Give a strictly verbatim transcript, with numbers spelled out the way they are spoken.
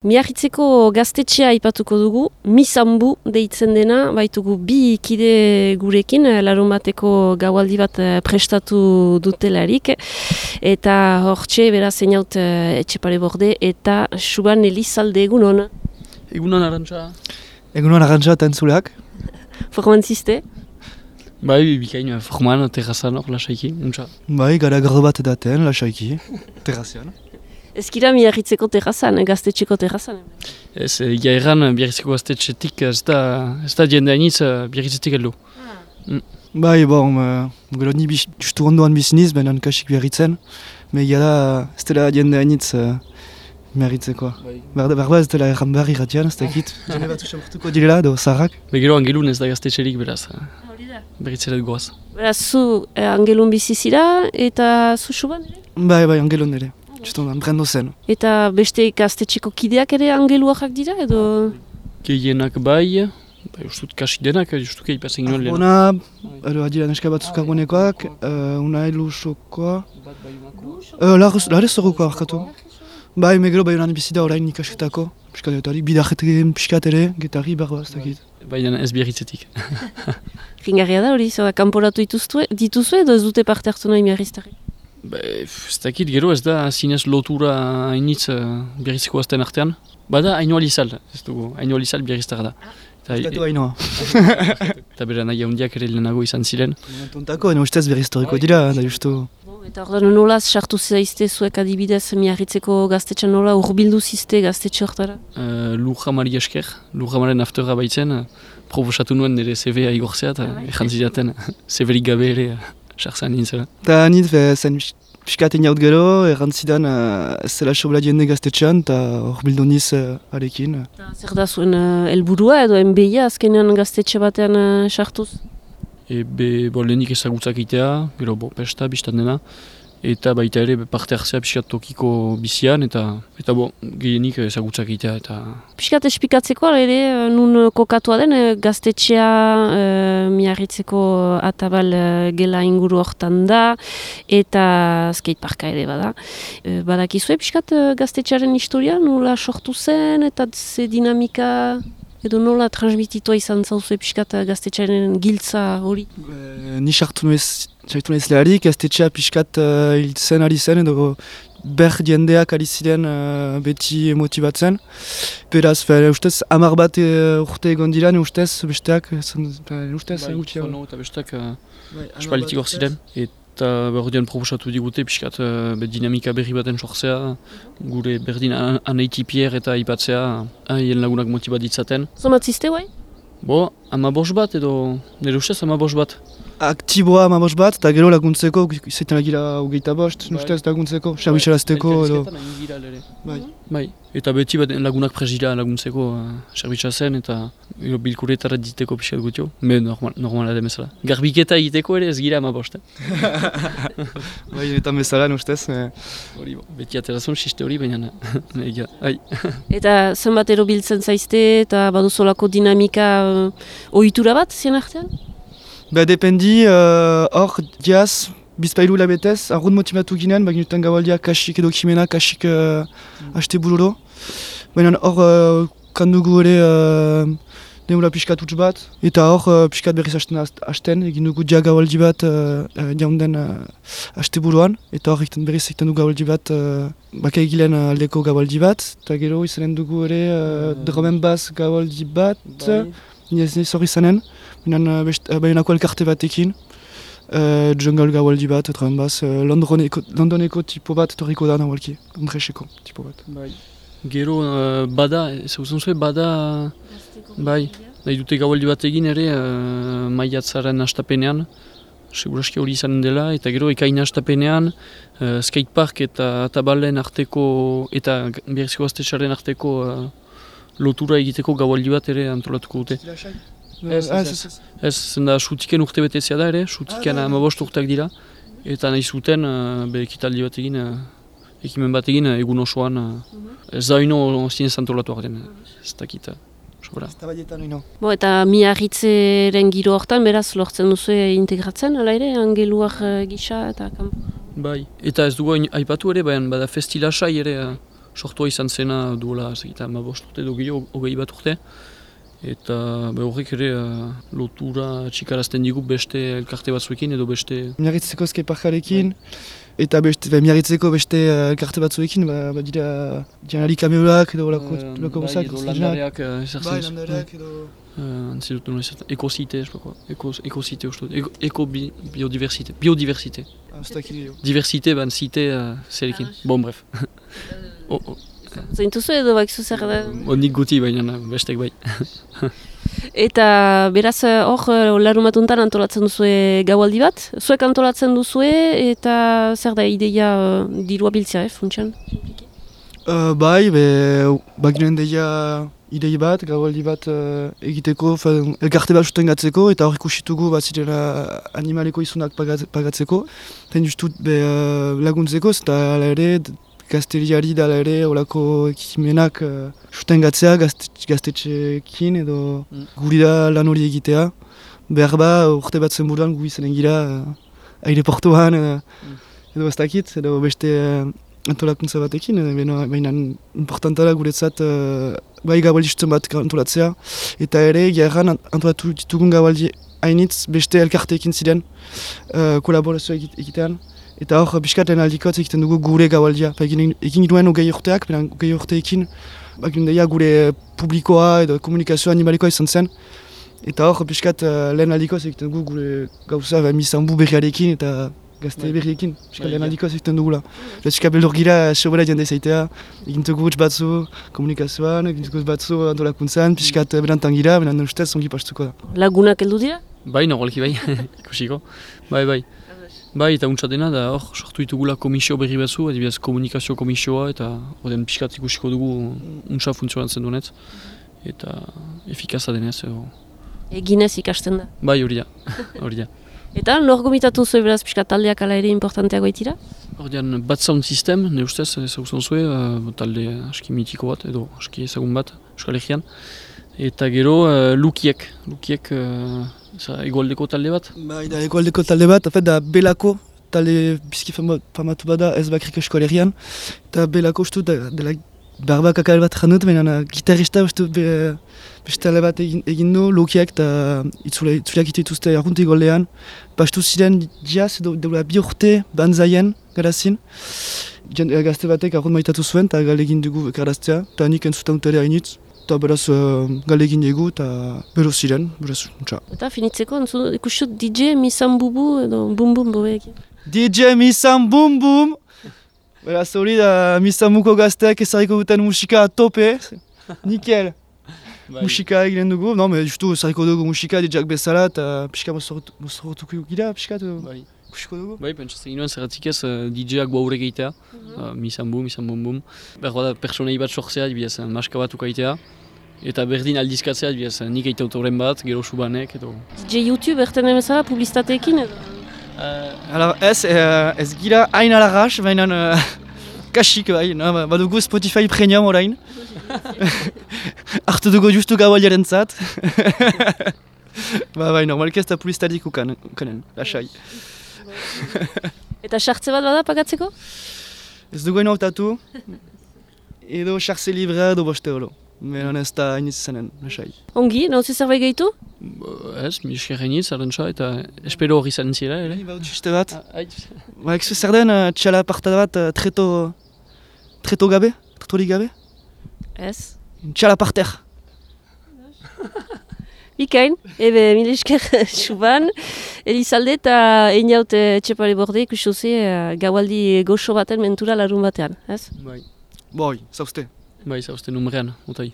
Miarritzeko gaztetxea aipatuko dugu, Misambu deitzen dena, baitugu bi kide gurekin, larunbateko gaualdi bat prestatu dutelarik, eta hortxe beraz einaut Etxepare Borde eta Suban Elizalde egunon. Egunon Arantxa. Egunon Arantxa eta entzuleak. Forman ziste? Bai, bikain, forman, terrazan hor, lasaiki, untsa. Bai, gara gardo bat edaten, lasaiki, terrazian. Ezkira Miarritzeko terrazan, gaztetxeko terrazan? Ez, egia erran, Biarritzeko gaztetxetik, ez da, ez da jende hainitz, Biarritzetik heldu. Ah. Mm. Bai, bon, uh, gero ni justu ondoan biziniz, benen kasik Biarritzen, me egia da, ez dela jende hainitz uh, Miarritzekoa. Bai. Berba ez dela erran behar irratian, ez dakit, jende bat usamurtuko direla, do zaharrak. Be gero angelun ez da gaztetxerik beraz, Hori da. Berritzeret goaz. Beraz, zu eh, angelun bizizira eta zu Suban ere? Bai, bai, angelon ere, justu ondoan, brendo zen. Eta beste gaztetxeko kideak ere angeluak dira edo? Gehienak bai, bai ustut kasik denak, justuke ipatzen ginoen lehen. Ona, edo adira neska batzuk argonekoak, uh, una elusokoa, uh, larez zorokoa arkatu. Bai, megero bai honan bizida orain ikasketako, piskat eutarik, bidajetek piskat ere, getari berba, ez dakit. Baina ez Biarritzetik. Ringarria da hori, zer da, kanporatu dituzue, dituzue edo ez dute parte hartu nahi Miarriztarri? Ba, ez dakit gero ez da zinez lotura hainitz uh, Biarritzeko azten artean. Bada Ainoa Lizal, ez dugu, Ainoa Lizal Biarriztarra da. Piskatu hainoa. Eta bera nahi handiak ere lehenago izan ziren. Tontako, ene ustez berriztoriko dira, da justu. Eta ordan nolaz sartu zaizte zuek adibidez Miarritzeko gaztetxean nola urbildu zizte gaztetxe hortara? Uh, Lujamari esker, Lujamaren afterra baitzen, uh, proposatu nuen nire C V-a igortzea eta ezan zidaten C V-rik gabe ere sartzen nintzela. Eta nint, zen piskat eniaut gero, errantzidan uh, ez zela sobla jende gaztetxean, eta hor bildu niz uh, arekin. Zer da zuen uh, helburua edo enbeia azkenean gaztetxe batean uh, sartuz? Ebe, bo, lehenik ezagutzak itea, gero, bo, pesta, biztan dena, eta baita ere parte hartzea piskat tokiko bizian, eta, eta bo, gehienik ezagutzak itea, eta... Piskat espikatzeko, ere, nun kokatua den, gaztetxea uh, Miarritzeko atabal uh, gela inguru hortan da, eta skateparka ere bada. Uh, badakizue piskat uh, gaztetxearen historia, nola sortu zen, eta ze dinamika... Edo nola transmititua izan zauzue piskat gaztetxearen giltza hori? E, ni sartu nuez leharik, gaztetxea piskat uh, hiltzen ari zen, edo ber jendeak ari ziren uh, beti motibatzen. Beraz, fe, ustez, hamar bat uh, urte egon dira, ne ustez, besteak, ustez, bai, gutxi. Bai, eta besteak uh, aspalitik hor ziren. Eta berdian proposatu digute pixkat uh, dinamika berri baten sortzea, gure berdin an anaitipier eta ipatzea haien lagunak motibat ditzaten. Zomatzizte, guai? Bo, ama bos bat edo nire ustez ama bos bat. Aktiboa ama bos bat, eta gero laguntzeko, izaiten agira hogeita bost, bai. Ustez laguntzeko, serbitxarazteko edo... Bai. Bai. Eta beti bat lagunak presira laguntzeko uh, serbitza zen eta uh, bilkuretara diteko pixkat gutio. Me normal, normala da bezala. Garbiketa egiteko ere ez gira ama bost. Bai, eta bezala, ustez. Hori, bo, beti aterazun siste hori, baina nahi ai. Eta zenbat ero biltzen zaizte eta baduzolako dinamika uh, ohitura bat zien artean? Ba, dependi, hor, uh, diaz, bizpailu labetez, arrun motivatu ginen, baginutan gaualdia kasik edo kimena, kasik uh, haste bururo. Baina hor, uh, kandugu ere uh, neula piskat utz bat, eta hor uh, piskat berriz hasten, egin dugu dia gaualdi bat uh, uh, jaunden uh, haste buruan, eta hor berriz egiten dugu gaualdi bat, uh, baka egilen uh, aldeko gaualdi bat, eta gero izanen dugu ere uh, dromen baz gaualdi bat, nire ez hori izanen, bainako elkarte batekin. Uh, jungle gaualdi bat, etraen baz, uh, Londoneko, Londoneko tipo bat etorriko da nahualki, Andreseko tipo bat. Bai. Gero uh, bada, zauzen zuen bada, bai, nahi dute gaualdi bat egin ere uh, maiatzaren hastapenean, seguraski hori izanen dela, eta gero ekain hastapenean, uh, skatepark eta tabalen arteko, eta Biarritzeko gaztetxearen arteko uh, lotura egiteko gaualdi bat ere antolatuko dute. Ez, ez, ez, ez, zenda sutiken urte betezia da ere, sutiken ah, amabost urteak dira, eta nahi zuten uh, be ekitaldi bat egin, uh, ekimen bat egin uh, egun osoan, uh, ez da ino zinez antolatu arden, ez dakit, sobra. Ez da badietan ino. Bo, eta Miarritzeren giro hortan, beraz, lortzen duzu integratzen, ala ere, angeluak uh, gisa eta kampo? Bai, eta ez dugu aipatu ere, baina bada festilasai ere, uh, sortua izan zena duela, zekita, ma bost urte, edo gehiago, hogei bat urte. Eta be, horrek ere uh, lotura txikarazten digu beste elkarte batzuekin edo beste... Miarritzeko skateparkarekin, eta beste, be, miarritzeko beste uh, elkarte batzuekin, ba, ba dira janari kameolak edo lako uh, bai, edo landareak uh, ezartzen. Bai, landareak edo... Uh, Antzidut nola ezartzen, ekosite, ekosite uste dut, eko-biodiversite, biodiversite. Ah, ez dakit gehiago. Diversite, ban zite uh, zerekin, bon bref. oh, oh. Zaintuzu edo bakizu zer da? Nik guti baina bestek bai. Eta beraz hor larumatuntan antolatzen duzue gaualdi bat? Zuek antolatzen duzue eta zer da ideia uh, dirua biltzea, eh, funtsan? Uh, bai, be, baginen deia idei bat, gaualdi bat uh, egiteko, fa, elkarte bat sustengatzeko, eta hor ikusitugu bat zirela animaleko izunak pagat, pagatzeko. Ten justut be, uh, laguntzeko, eta ala ere, gazteriari dala ere olako ekimenak uh, sustengatzea gaztetxeekin edo mm. guri da lan hori egitea. Behar ba, urte bat zenburuan gu izanen gira uh, aireportuan uh, mm. edo ez dakit, edo beste uh, antolakuntza batekin, baina importanta da guretzat uh, bai gaualdi sutzen bat antolatzea. Eta ere, gerran antolatu ditugun gaualdi hainitz beste elkarteekin ziren uh, kolaborazioa egitean. Eta hor, biskat lehen aldikotz egiten dugu gure gaualdia. Egin, egin duen hogei urteak, benen hogei urteekin deia gure publikoa edo komunikazioa animalikoa izan zen. Eta hor, biskat uh, lehen aldikotz egiten dugu gure gauza mizanbu berriarekin eta gazte berriekin. Biskat lehen aldikotz egiten dugula. Biskat beldur gira, sobera jende zaitea. Egin dugu utz batzu komunikazioan, egin dugu batzu antolakuntzan, biskat berantan gira, benen ustez ongi pastuko da. Lagunak heldu dira? Bai, nogolki bai, ikusiko. Bai, bai. Bai, eta untsa dena, da hor, sortu ditugula komisio berri batzu, adibidez komunikazio komisioa, eta horren pixkat ikusiko dugu untsa funtzionatzen duenez, eta efikaza denez. Edo... Eginez ikasten da? Bai, hori da, hori da. Eta, lor gomitatu zuen beraz pixkat taldeak ala ere importanteago itira? Horrean, bat sound system, ne ustez, ezagutzen zuen, uh, talde aski mitiko bat, edo aski ezagun bat, Euskal Herrian. Eta gero, uh, Lukiek, Lukiek, uh, egoaldeko talde bat? Bai, da egoaldeko talde bat, afet da Belako, talde bizki famatu bada ez bakrik Euskal Herrian. Eta Belako ustu da, dela barbak akal bat janut, baina gitarrista ustu be, beste talde bat egin, egin du, Lukiek, eta itzuleak ite dituzte arruntik goldean. Bastu ziren jaz, edo deula bi urte banzaien garazin. Gazte batek arrunt maitatu zuen, eta galegin dugu garaztea, eta nik entzutan utare hainitz. Eta beraz uh, galegin egu eta bero ziren, beraz, untsa. Eta finitzeko, ikusut D J Misan Bubu edo Bum Bum bobeek. D J Misan Bum Bum! Beraz hori da Misan Muko gazteak ezarriko duten musika tope. Nikel! Musika eginen dugu, no, me justu ezarriko dugu musika D J-ak bezala eta pixka mozorrotuko gira, pixka bai. Ikusiko dugu. Bai, pentsatzen ginoen zerratik ez uh, D J-ak baure gehitea, uh, Misan Bum, Misan Bum Bum. Berroa da personei bat sortzea, dibidez, maska bat ukaitea. Eta berdin aldizkatzea, dibidez, nik eite autoren bat, gero subanek, edo... D J YouTube erten emezala publizitateekin edo? Uh, Ala, ez, uh, ez gira hain alarras, baina uh, kasik bai, no? Badugu Spotify Premium orain. Artu dugu justu gaualiaren zat. Ba bai, normalki ez da publizitatik ukanen, lasai. Eta sartze bat bada pagatzeko? Ez dugu eno hautatu, edo sartze librea edo boste holo. Beran ez da hainitz zenen, lasai. Ongi, nauzi zerbait gehitu? Ez, mi esker hainitz, arrentza, eta espero hori zaren zira, ere? Ba, utxiste bat. Ba, ekzu zer den, txala parta bat, treto... treto gabe? Tretorik gabe? Ez. Txala parter. Bikain, ebe, mile esker suban, Elizalde eta einaut etxepare borde ikusuzi gaualdi goxo baten mentura larun batean, ez? Bai. Boi, zauzte. Bai, zauzte numerean, otai.